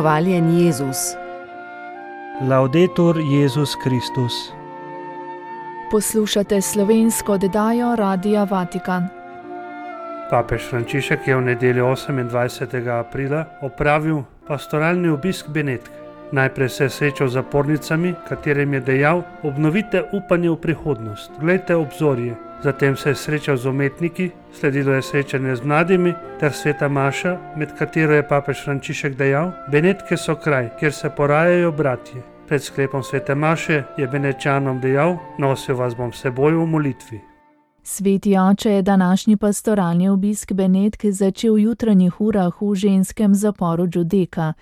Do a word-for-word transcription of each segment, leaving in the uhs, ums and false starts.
Hvaljen Jezus. Laudetur Jezus Kristus. Poslušate slovensko oddajo Radia Vatikan. Papež Frančišek je v nedeljo osemindvajsetega aprila opravil pastoralni obisk Benetk. Najprej se je srečal z zapornicami, katerim je dejal: obnovite upanje v prihodnost, glejte obzorje. Zatem se je srečal z umetniki, sledilo je srečanje z mladimi ter sveta maša, med katero je papež Frančišek dejal: Benetke so kraj, kjer se porajajo bratje. Pred sklepom svete maše je Benečanom dejal: nosil vas bom s seboj v molitvi. Sveti oče je današnji pastoralni obisk Benetk začel v jutranjih urah v ženskem zaporu Giudecca.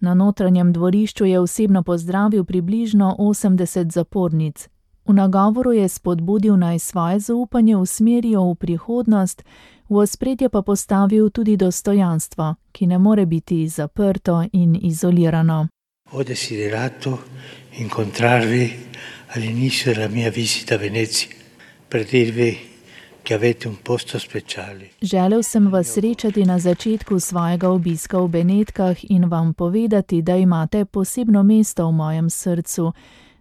Na notranjem dvorišču je osebno pozdravil približno osemdeset zapornic. V nagovoru je spodbudil, naj svoje zaupanje usmerijo v prihodnost, v ospredje pa postavil tudi dostojanstvo, ki ne more biti zaprto in izolirano. Ho desiderato incontrarvi all'inizio della mia visita a Venezia per dirvi che avete un posto speciale. Želel sem vas srečati na začetku svojega obiska v Benetkah in vam povedati, da imate posebno mesto v mojem srcu.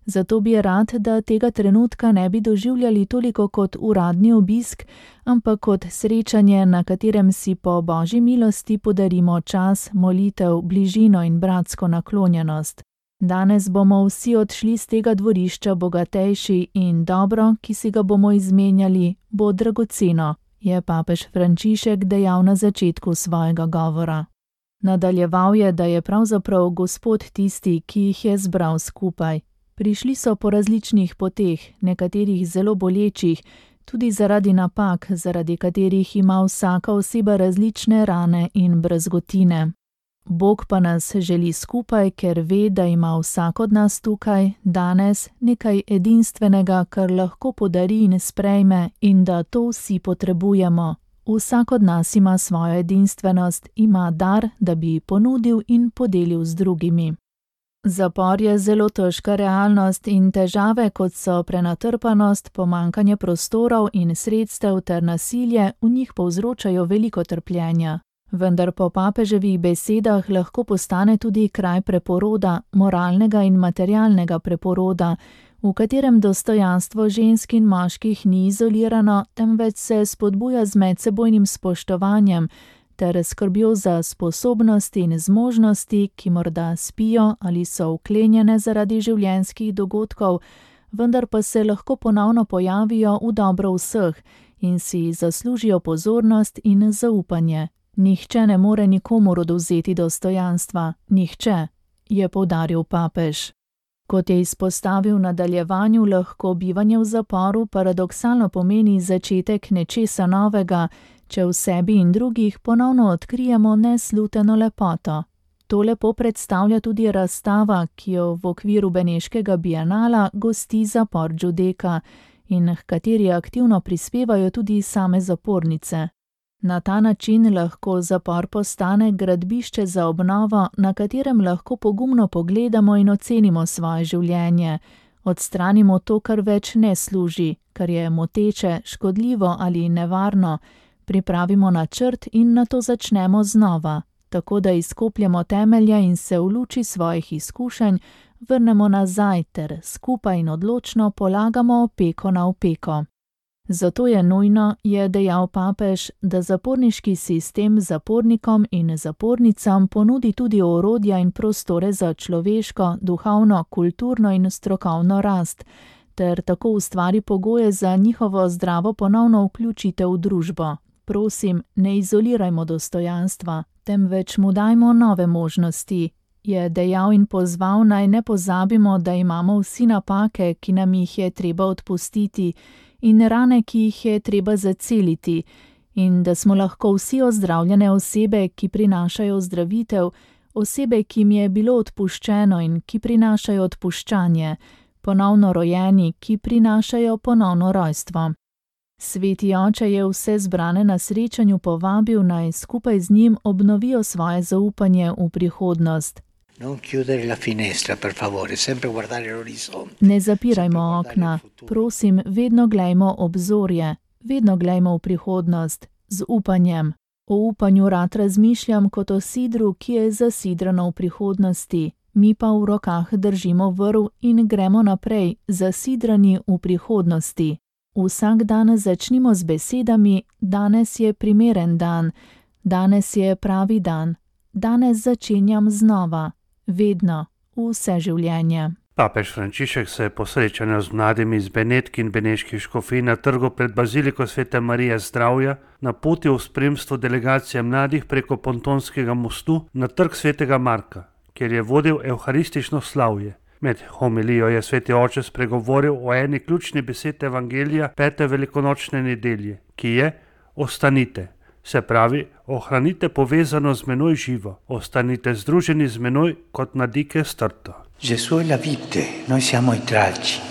Zato bi rad, da tega trenutka ne bi doživljali toliko kot uradni obisk, ampak kot srečanje, na katerem si po Božji milosti podarimo čas, molitev, bližino in bratsko naklonjenost. Danes bomo vsi odšli z tega dvorišča bogatejši in dobro, ki si ga bomo izmenjali, bo dragoceno, je papež Frančišek dejal na začetku svojega govora. Nadaljeval je, da je pravzaprav Gospod tisti, ki jih je zbral skupaj. Prišli so po različnih poteh, nekaterih zelo bolečih, tudi zaradi napak, zaradi katerih ima vsaka oseba različne rane in brazgotine. Bog pa nas želi skupaj, ker ve, da ima vsak od nas tukaj, danes, nekaj edinstvenega, kar lahko podari in sprejme, in da to vsi potrebujemo. Vsak od nas ima svojo edinstvenost, ima dar, da bi ponudil in podelil z drugimi. Zapor je zelo težka realnost in težave, kot so prenatrpanost, pomanjkanje prostorov in sredstev ter nasilje, v njih povzročajo veliko trpljenja. Vendar po papeževih besedah lahko postane tudi kraj preporoda, moralnega in materialnega preporoda, v katerem dostojanstvo žensk in moških ni izolirano, temveč se spodbuja z medsebojnim spoštovanjem ter skrbjo za sposobnosti in zmožnosti, ki morda spijo ali so vklenjene zaradi življenjskih dogodkov, vendar pa se lahko ponovno pojavijo v dobro vseh in si zaslužijo pozornost in zaupanje. Nihče ne more nikomur odvzeti dostojanstva, nihče, je poudaril papež. Kot je izpostavil v nadaljevanju, lahko bivanje v zaporu paradoksalno pomeni začetek nečesa novega, če v sebi in drugih ponovno odkrijemo nesluteno lepoto. To lepo predstavlja tudi razstava, ki jo v okviru beneškega bienala gosti zapor Giudecca in h kateri aktivno prispevajo tudi same zapornice. Na ta način lahko zapor postane gradbišče za obnovo, na katerem lahko pogumno pogledamo in ocenimo svoje življenje. Odstranimo to, kar več ne služi, kar je moteče, škodljivo ali nevarno. Pripravimo načrt in nato začnemo znova, tako da izkopljemo temelje in se v luči svojih izkušenj vrnemo nazaj ter skupaj in odločno polagamo opeko na opeko. Zato je nujno, je dejal papež, da zaporniški sistem zapornikom in zapornicam ponudi tudi orodja in prostore za človeško, duhovno, kulturno in strokovno rast, ter tako ustvari pogoje za njihovo zdravo ponovno vključitev v družbo. Prosim, ne izolirajmo dostojanstva, temveč mu dajmo nove možnosti, je dejal in pozval, naj ne pozabimo, da imamo vsi napake, ki nam jih je treba odpustiti, in rane, ki jih je treba zaceliti, in da smo lahko vsi ozdravljene osebe, ki prinašajo ozdravitev, osebe, ki jim je bilo odpuščeno in ki prinašajo odpuščanje, ponovno rojeni, ki prinašajo ponovno rojstvo. Sveti oče je vse zbrane na srečanju povabil, naj skupaj z njim obnovijo svoje zaupanje v prihodnost. Non chiudere la finestra, per favore, sempre guardare l'orizzonte. Ne zapirajmo okna, prosim, vedno glejmo obzorje, vedno glejmo v prihodnost, z upanjem. O upanju rad razmišljam kot o sidru, ki je zasidrano v prihodnosti. Mi pa v rokah držimo vrv in gremo naprej, zasidrani v prihodnosti. Vsak dan začnimo z besedami: danes je primeren dan, danes je pravi dan, danes začenjam znova, vedno, vse življenje. Papež Frančišek se je po srečanju z mladimi iz Benetk in beneških škofij na trgu pred baziliko Svete Marije Zdravja napotil v spremstvu delegacije mladih preko Pontonskega mostu na trg Svetega Marka, kjer je vodil evharistično slavje. Med homilijo je sveti oče spregovoril o eni ključni besedi evangelija pete velikonočne nedelje, ki je: ostanite. Se pravi, ohranite povezano z menoj živo, ostanite združeni z menoj kot nadike s trto. Gesù è la vite, noi siamo i tralci.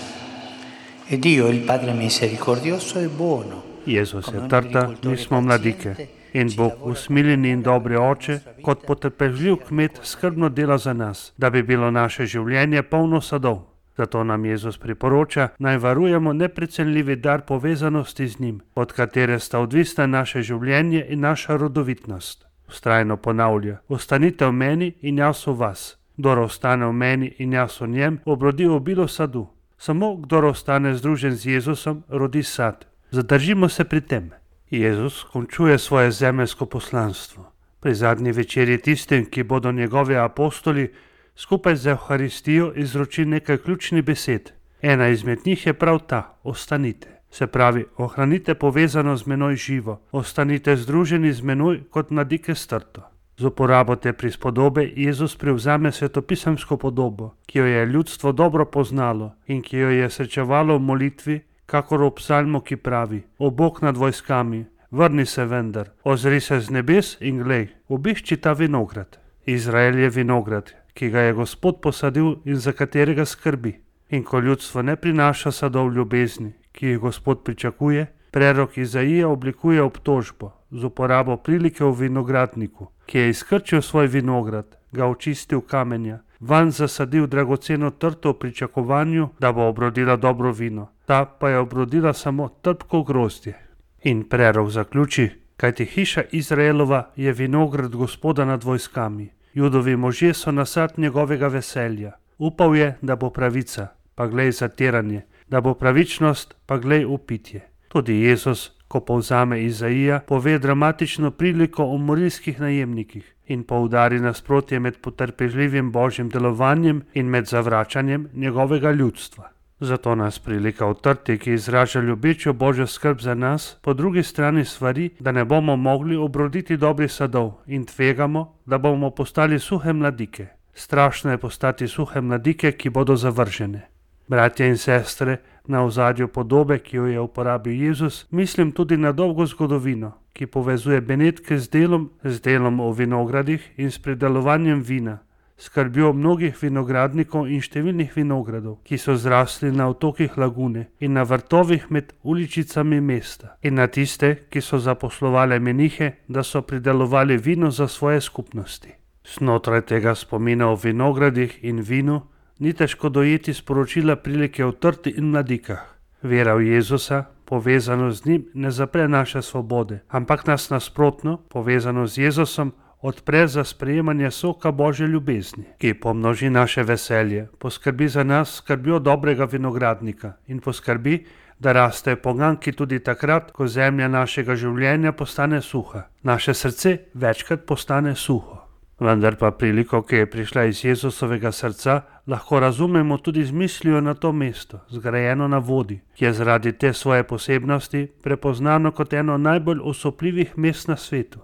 E Dio, il Padre misericordioso e buono. Jezus je trta, mi smo mladike. In Bog, usmiljeni in dobri oče, kot potrpežljiv kmet, skrbno dela za nas, da bi bilo naše življenje polno sadov. Zato nam Jezus priporoča, naj varujemo neprecenljivi dar povezanosti z njim, od katere sta odvisna naše življenje in naša rodovitnost. Vztrajno ponavlja: ostanite v meni in jaz v vas. Kdor ostane v meni in jaz v njem, obrodi obilo sadu. Samo kdor ostane združen z Jezusom, rodi sad. Zadržimo se pri tem. Jezus končuje svoje zemeljsko poslanstvo. Pri zadnji večerji tistim, ki bodo njegovi apostoli, skupaj z Evharistijo izroči nekaj ključnih besed. Ena izmed njih je prav ta: ostanite. Se pravi, ohranite povezano z menoj živo, ostanite združeni z menoj kot mladike s trto. Z uporabo te prispodobe Jezus prevzame svetopisemsko podobo, ki jo je ljudstvo dobro poznalo in ki jo je srečevalo v molitvi, kakor v psalmu, ki pravi: o Bog nad vojskami, vrni se vendar, ozri se z nebes in glej, obišči ta vinograd. Izrael je vinograd, ki ga je Gospod posadil in za katerega skrbi. In ko ljudstvo ne prinaša sadov ljubezni, ki jih Gospod pričakuje, prerok Izaija oblikuje obtožbo z uporabo prilike v vinogradniku, ki je izkrčil svoj vinograd, ga očistil kamenja, vanj zasadil dragoceno trto v pričakovanju, da bo obrodila dobro vino. Ta pa je obrodila samo trpko grozdje. In prerok zaključi: kajti hiša Izraelova je vinograd Gospoda nad vojskami. Judovi možje so nasad njegovega veselja. Upal je, da bo pravica, pa glej zatiranje, da bo pravičnost, pa glej upitje. Tudi Jezus, ko povzame Izaija, pove dramatično priliko o morilskih najemnikih in poudari nasprotje med potrpežljivim božjim delovanjem in med zavračanjem njegovega ljudstva. Zato nas prilika v trti, ki izraža ljubečo božjo skrb za nas, po drugi strani svari, da ne bomo mogli obroditi dobrih sadov in tvegamo, da bomo postali suhe mladike. Strašno je postati suhe mladike, ki bodo zavržene. Bratje in sestre, na ozadju podobe, ki jo je uporabil Jezus, mislim tudi na dolgo zgodovino, ki povezuje Benetke z delom, z delom o vinogradih in s pridelovanjem vina, skrbjo mnogih vinogradnikov in številnih vinogradov, ki so zrasli na otokih lagune in na vrtovih med uličicami mesta, in na tiste, ki so zaposlovali menihe, da so pridelovali vino za svoje skupnosti. Znotraj tega spomina o vinogradih in vinu ni težko dojeti sporočila prilike o trti in mladikah. Vera v Jezusa, povezano z njim, ne zapre naše svobode, ampak nas nasprotno, povezano z Jezusom, odpre za sprejemanje soka Božje ljubezni, ki pomnoži naše veselje, poskrbi za nas skrbjo dobrega vinogradnika in poskrbi, da raste poganki tudi takrat, ko zemlja našega življenja postane suha. Naše srce večkrat postane suho. Vendar pa priliko, ki je prišla iz Jezusovega srca, lahko razumemo tudi z mislijo na to mesto, zgrajeno na vodi, ki je zaradi te svoje posebnosti prepoznano kot eno najbolj osupljivih mest na svetu.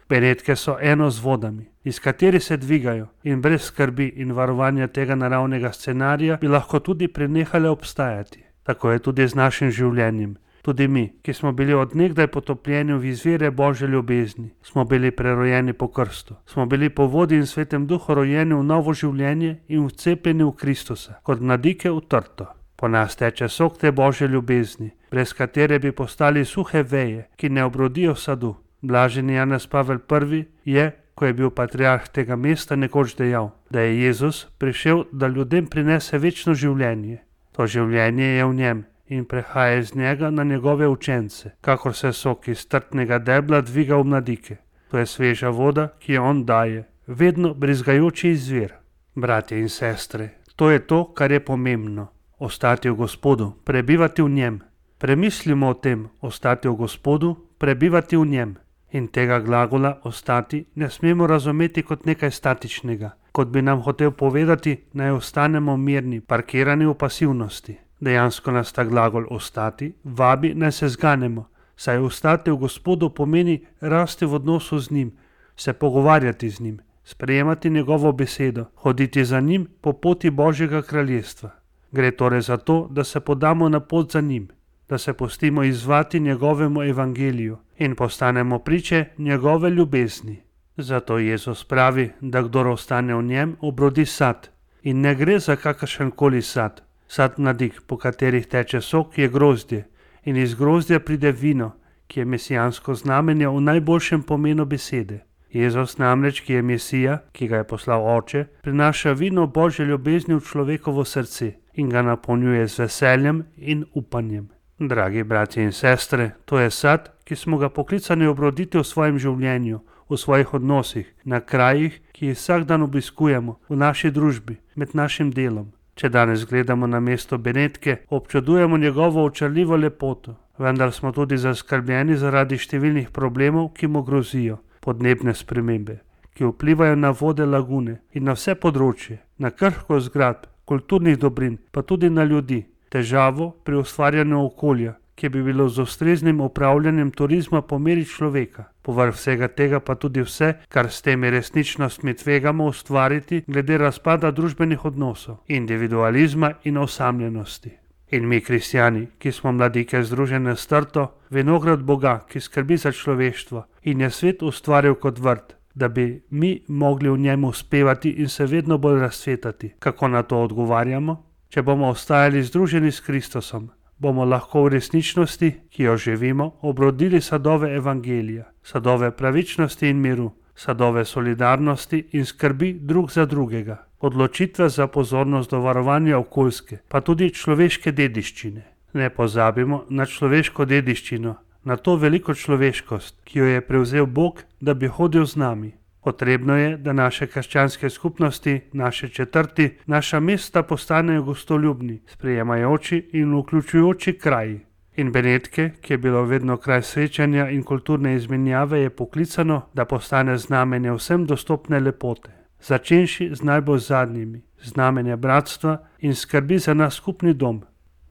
Benetke so eno z vodami, iz katerih se dvigajo, in brez skrbi in varovanja tega naravnega scenarija bi lahko tudi prenehale obstajati. Tako je tudi z našim življenjem. Tudi mi, ki smo bili od nekdaj potopljeni v izvire Božje ljubezni, smo bili prerojeni po krstu, smo bili po vodi in svetem duhu rojeni v novo življenje in vcepljeni v Kristusa, kot mladike v trto. Po nas teče sok te Božje ljubezni, brez katere bi postali suhe veje, ki ne obrodijo sadu. Blaženi Janez Pavel prvi je, ko je bil patriarh tega mesta, nekoč dejal, da je Jezus prišel, da ljudem prinese večno življenje. To življenje je v njem in prehaja iz njega na njegove učence, kakor se sok iz trtnega debla dviga v mladike. To je sveža voda, ki jo on daje, vedno brizgajoči izvir. Bratje in sestre, to je to, kar je pomembno. Ostati v Gospodu, prebivati v njem. Premislimo o tem, ostati v Gospodu, prebivati v njem. In tega glagola ostati ne smemo razumeti kot nekaj statičnega, kot bi nam hotel povedati, naj ostanemo mirni, parkirani v pasivnosti. Dejansko nas ta glagol ostati vabi, naj se zganemo, saj ostati v Gospodu pomeni rasti v odnosu z njim, se pogovarjati z njim, sprejemati njegovo besedo, hoditi za njim po poti Božjega kraljestva. Gre torej za to, da se podamo na pot za njim, da se pustimo izzvati njegovemu evangeliju in postanemo priče njegove ljubezni. Zato Jezus pravi, da kdor ostane v njem, obrodi sad. In ne gre za kakršenkoli sad. Sad mladik, po katerih teče sok, je grozdje. In iz grozdja pride vino, ki je mesijansko znamenje v najboljšem pomenu besede. Jezus namreč, ki je Mesija, ki ga je poslal Oče, prinaša vino Božje ljubezni v človekovo srce in ga napolnjuje z veseljem in upanjem. Dragi bratje in sestre, to je sad, ki smo ga poklicani obroditi v svojem življenju, v svojih odnosih, na krajih, ki jih vsak dan obiskujemo, v naši družbi, med našim delom. Če danes gledamo na mesto Benetke, občudujemo njegovo očarljivo lepoto, vendar smo tudi zaskrbljeni zaradi številnih problemov, ki mu grozijo. Podnebne spremembe, ki vplivajo na vode lagune in na vse področje, na krhkost zgradb, kulturnih dobrin, pa tudi na ljudi. Težavo pri ustvarjanju okolja, ki bi bilo z ustreznim upravljanjem turizma po meri človeka. Povrh vsega tega pa tudi vse, kar s temi resničnostmi tvegamo ustvariti glede razpada družbenih odnosov, individualizma in osamljenosti. In mi, kristjani, ki smo mladike združene s trto, vinograd Boga, ki skrbi za človeštvo in je svet ustvaril kot vrt, da bi mi mogli v njem uspevati in se vedno bolj razcvetati. Kako na to odgovarjamo? Če bomo ostajali združeni s Kristusom, bomo lahko v resničnosti, ki jo živimo, obrodili sadove evangelija, sadove pravičnosti in miru, sadove solidarnosti in skrbi drug za drugega, odločitve za pozornost do varovanja okoljske, pa tudi človeške dediščine. Ne pozabimo na človeško dediščino, na to veliko človeškost, ki jo je prevzel Bog, da bi hodil z nami. Potrebno je, da naše krščanske skupnosti, naše četrti, naša mesta postanejo gostoljubni, sprejemajoči in vključujoči kraji. In Benetke, ki je bilo vedno kraj srečanja in kulturne izmenjave, je poklicano, da postane znamenje vsem dostopne lepote, začenši z najbolj zadnjimi, znamenje bratstva in skrbi za nas skupni dom.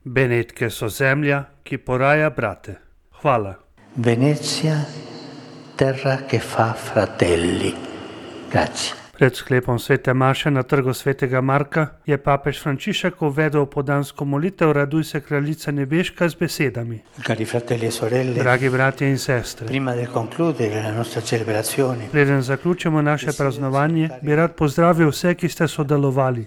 Benetke so zemlja, ki poraja brate. Hvala. Venezia, terra che fa fratelli. Grazie. Pred sklepom svete maše na trgu svetega Marka je papež Frančišek uvedel podansko molitev Raduj se kraljica nebeška z besedami. Cari fratelli e sorelle, Dragi bratje in sestre, prima di concludere la nostra celebrazione, preden zaključimo naše praznovanje, bi rad pozdravil vse, ki ste sodelovali.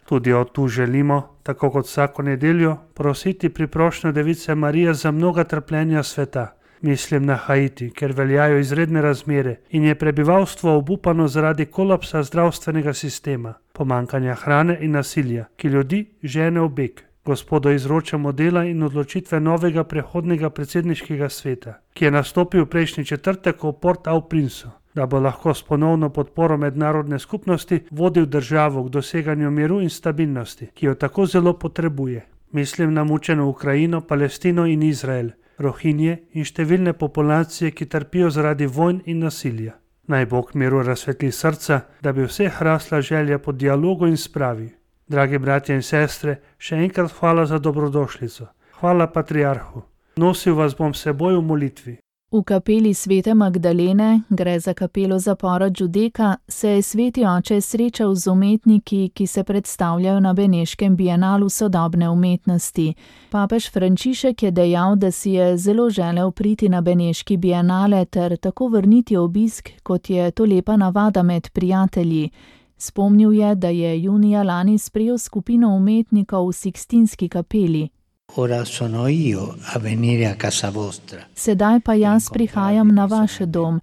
Tudi od tu želimo, tako kot vsako nedeljo, prositi priprošnjo Device Marije za mnoga trpljenja sveta. Mislim na Haiti, ker veljajo izredne razmere in je prebivalstvo obupano zaradi kolapsa zdravstvenega sistema, pomankanja hrane in nasilja, ki ljudi žene v beg. Gospodu izročamo dela in odločitve novega prehodnega predsedniškega sveta, ki je nastopil prejšnji četrtek v Port-au-Princu, da bo lahko s ponovno podporo mednarodne skupnosti vodil državo k doseganju miru in stabilnosti, ki jo tako zelo potrebuje. Mislim na mučeno Ukrajino, Palestino in Izrael, Rohinje in številne populacije, ki trpijo zaradi vojn in nasilja. Naj Bog miru razsvetli srca, da bi vseh rasla želja po dialogu in spravi. Dragi bratje in sestre, še enkrat hvala za dobrodošlico. Hvala patriarhu. Nosil vas bom s seboj v molitvi. V kapeli svete Magdalene, gre za kapelo zapora Giudecca, se je sveti oče srečal z umetniki, ki se predstavljajo na Beneškem bienalu sodobne umetnosti. Papež Frančišek je dejal, da si je zelo želel priti na Beneški bienale ter tako vrniti obisk, kot je to lepa navada med prijatelji. Spomnil je, da je junija lani sprejel skupino umetnikov v Sikstinski kapeli. Ora sono io a venire a casa vostra. Sedaj pa jaz prihajam na vaš dom,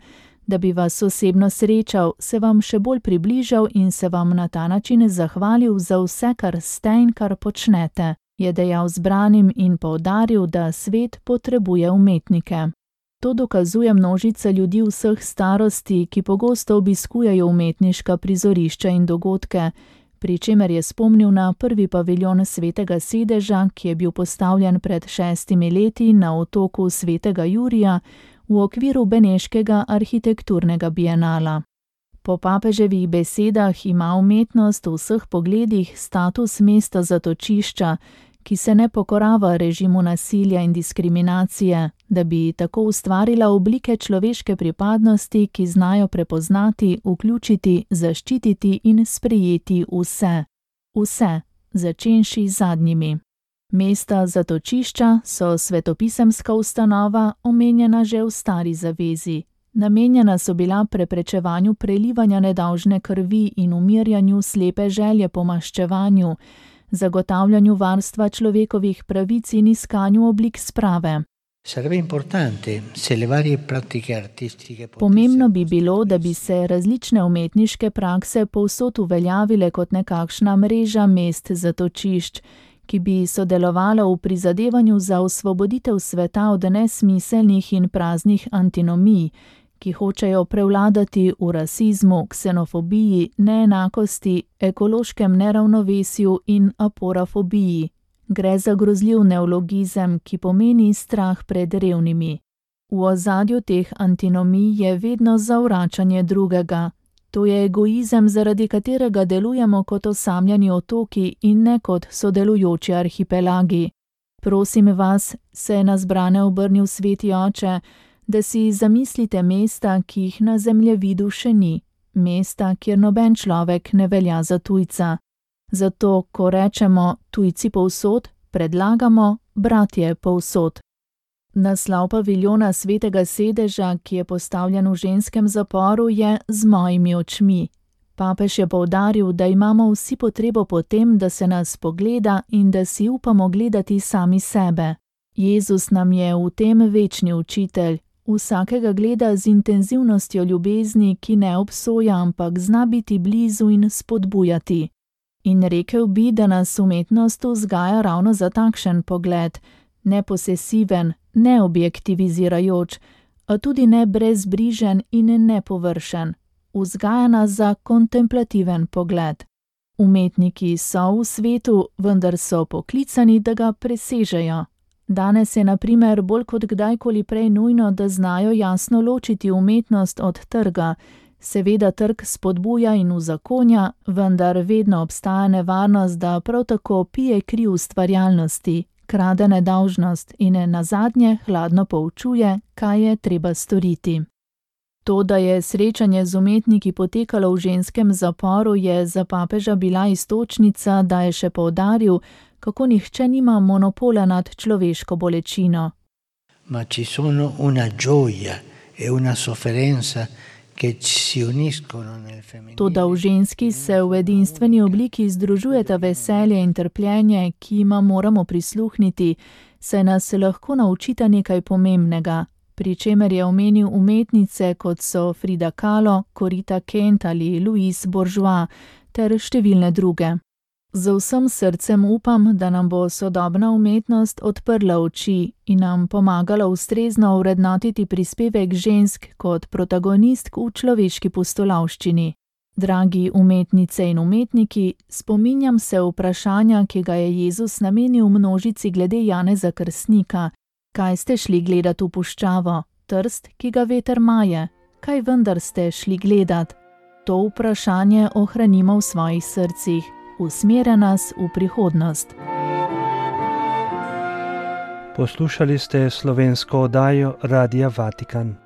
da bi vas osebno srečal, se vam še bolj približal in se vam na ta način zahvalil za vse, kar ste in kar počnete, je dejal zbranim in poudaril, da svet potrebuje umetnike. To dokazuje množica ljudi vseh starosti, ki pogosto obiskujejo umetniška prizorišča in dogodke, pri čemer je spomnil na prvi paviljon Svetega sedeža, ki je bil postavljen pred šestimi leti na otoku Svetega Jurija v okviru beneškega arhitekturnega bienala. Po papeževih besedah ima umetnost v vseh pogledih status mesta zatočišča, ki se ne pokorava režimu nasilja in diskriminacije, da bi tako ustvarila oblike človeške pripadnosti, ki znajo prepoznati, vključiti, zaščititi in sprejeti vse. Vse, začenši z zadnjimi. Mesta zatočišča so svetopisemska ustanova, omenjena že v Stari zavezi. Namenjena so bila preprečevanju prelivanja nedolžne krvi in umirjanju slepe želje po maščevanju, zagotavljanju varstva človekovih pravic in iskanju oblik sprave. Pomembno bi bilo, da bi se različne umetniške prakse povsod uveljavile kot nekakšna mreža mest zatočišč, ki bi sodelovala v prizadevanju za osvoboditev sveta od nesmiselnih in praznih antinomij, ki hočejo prevladati v rasizmu, ksenofobiji, neenakosti, ekološkem neravnovesju in aporafobiji. Gre za grozljiv neologizem, ki pomeni strah pred revnimi. V ozadju teh antinomij je vedno zavračanje drugega. To je egoizem, zaradi katerega delujemo kot osamljeni otoki in ne kot sodelujoči arhipelagi. Prosim vas, se je na zbrane obrnil Sveti oče, da si zamislite mesta, ki jih na zemljevidu še ni, mesta, kjer noben človek ne velja za tujca. Zato, ko rečemo tujci povsod, predlagamo bratje povsod. Naslov paviljona Svetega sedeža, ki je postavljen v ženskem zaporu, je Z mojimi očmi. Papež je poudaril, da imamo vsi potrebo po tem, da se nas pogleda in da si upamo gledati sami sebe. Jezus nam je v tem večni učitelj. Vsakega gleda z intenzivnostjo ljubezni, ki ne obsoja, ampak zna biti blizu in spodbujati. In rekel bi, da nas umetnost vzgaja ravno za takšen pogled, ne posesiven, ne objektivizirajoč, a tudi ne brezbrižen in nepovršen. Vzgaja nas za kontemplativen pogled. Umetniki so v svetu, vendar so poklicani, da ga presežejo. Danes je na primer bolj kot kdajkoli prej nujno, da znajo jasno ločiti umetnost od trga. Seveda trg spodbuja in uzakonja, vendar vedno obstaja nevarnost, da prav tako pije kri ustvarjalnosti, krade nedolžnost in nazadnje hladno poučuje, kaj je treba storiti. To, da je srečanje z umetniki potekalo v ženskem zaporu, je za papeža bila iztočnica, da je še poudaril, kako nihče nima monopola nad človeško bolečino. Ma ci sono una gioia e una sofferenza che si uniscono nel femminile. Toda v ženski se v edinstveni obliki združujeta veselje in trpljenje, ki jima moramo prisluhniti, saj nas lahko naučita nekaj pomembnega, pri čemer je omenil umetnice, kot so Frida Kahlo, Corita Kent ali Louise Bourgeois, ter številne druge. Z vsem srcem upam, da nam bo sodobna umetnost odprla oči in nam pomagala ustrezno vrednotiti prispevek žensk kot protagonistk v človeški pustolovščini. Dragi umetnice in umetniki, spominjam se vprašanja, ki ga je Jezus namenil množici glede Janeza Krstnika. Kaj ste šli gledat v puščavo? Trst, ki ga veter maje? Kaj vendar ste šli gledat? To vprašanje ohranimo v svojih srcih. Usmerja nas v prihodnost. Poslušali ste slovensko oddajo Radia Vatikan.